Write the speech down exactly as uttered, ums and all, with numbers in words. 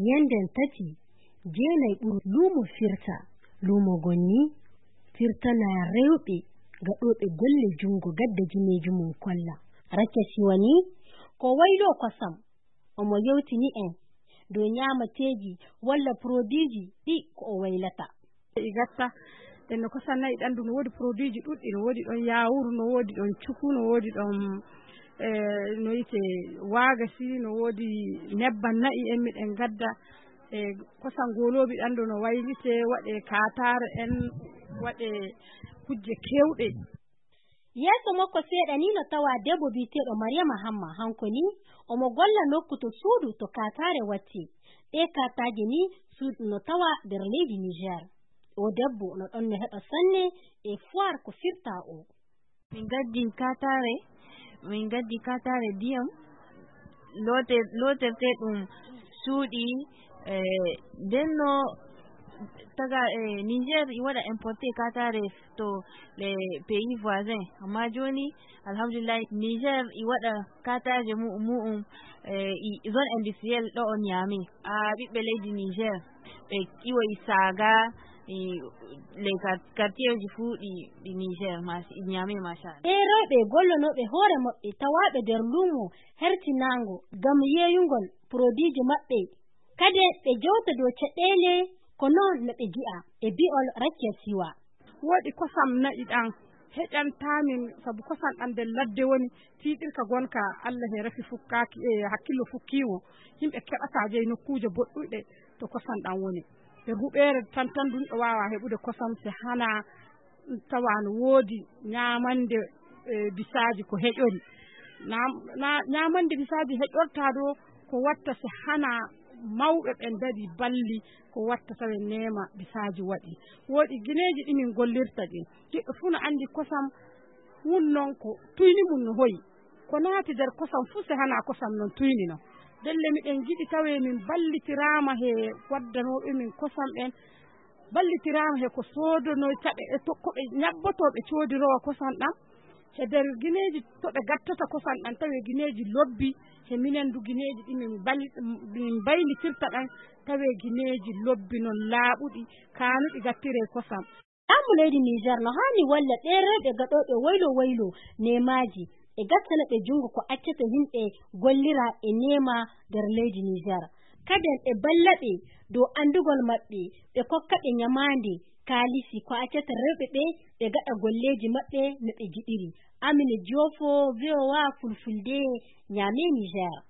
Yenden tati, jeenay ɓuru luumo firta. Luumo gon ni firtana rewɓe gaɗooɓe golle junngo gadda gineeji mum kolla. Rakia Siwa ni ko wayloo kosam, omo yewtini en dow ñaamateeji walla poroduiji ɗi ko o waylata. I gatta en no kosam na'i ɗanndu, no woodi poroduiji ɗuɗɗi, no woodi ɗon yaawuru, no woodi ɗon cuku, no woodi ɗon e no wiyetee waagasi, no woodi nebban na'i en miɗen gadda. E kosam gooloobi ɗanndu no waylitee, waɗee kaataare en, waɗee kujje keewɗe. Yeeso makko seeɗa ni no tawaa debbo biyeteeɗo Mariama Hamma, hanko ni omo golla nokku to suudu to kaataare wattee. Ɗee kaataaje ni suudu no tawaa nder leydi Niger. Oo debbo no ɗon no heɓa sanne e foire ko firtaa oo. Min gaddi kaataare, min gaddi kaataare diyam, loote-, lootertee ɗum suuɗi, e, nden no taga, e, Niger i waɗa importe kaataare to les pays voisins. Amma jooni, alhamdulillahi, Niger i waɗa kaataaje mu-, mu'um, e, i zone industrielle ɗo on Niamey. A ɓiɓɓe leydi Niger, ɓe iwoyi Saga, e, les quar-, quartierji fuu ɗi, ɗi Niger, mas-, ɗi Niamey, machallah. Ɓee rewɓe gollonooɓe hoore maɓɓe tawaaɓe nder luumo hertinaango ngam yeeyungol poroduiji maɓɓe. Kadi ɓe jewta dow caɗeele ko noon no ɓe ngi'a e bi'ol Rakia Siwa. Woodi kosam na'i ɗan heƴantaa min, sabu kosam ɗan nder ladde woni, tiiɗirka gonka Allah he rafi fukkaaki, e hakkillo fukkii mo. Yimɓe keɓataa jeyi nokkuuje boɗɗuɗe to kosam ɗan woni. Nder huɓeere tan tan dunɗo waawaa heɓude kosam se hanaa tawa no woodi ñaamande, e, bisaaji ko heƴori. Na, na, ñaamande bisaaji heƴortaa ɗo ko watta se hanaa mawɓe ɓen ndarii balli ko watta tawa neema bisaaji waɗi. Woodi gineeji ɗi min gollirta ɗin. Giɗɗo fuu no anndi kosam wun non ko tuyni mum no hoyi. Ko naati nder kosam fuu se hanaa kosam non tuyni non. Ndelle miɗen ngiɗi tawee min ballitiraama he waddanooɓe min kosam ɓen, ballitiraama he ko soodonoyta ɓe, e to, ko ɓe ñabbotoo ɓe coodiroowa kosam ɗam. He nder gineeji to ɓe gattata kosam ɗam, tawee gineeji lobbi, he minen du gineeji ɗi min bal-, min mbaylitirta ɗam, tawee gineeji lobbi non laaɓuɗi, kaanuɗi gattiree kosam. Laamu leydi Niger no haani walla ɓee rewɓe gaɗooɓe waylo waylo neemaaji, e gattana ɓe junngo ko accata yimɓe gollira e neema nder leydi Niger. Kaden ɓe balla ɓe dow anndugol maɓɓe, ɓe kokka ɓe ñamaande, kaalisi ko accata rewɓe ɓe, ɓe gaɗa golleeji maɓɓe no ɓe ngiɗiri. Amine Diofo, V O A Fulfulde, Niamey, Niger.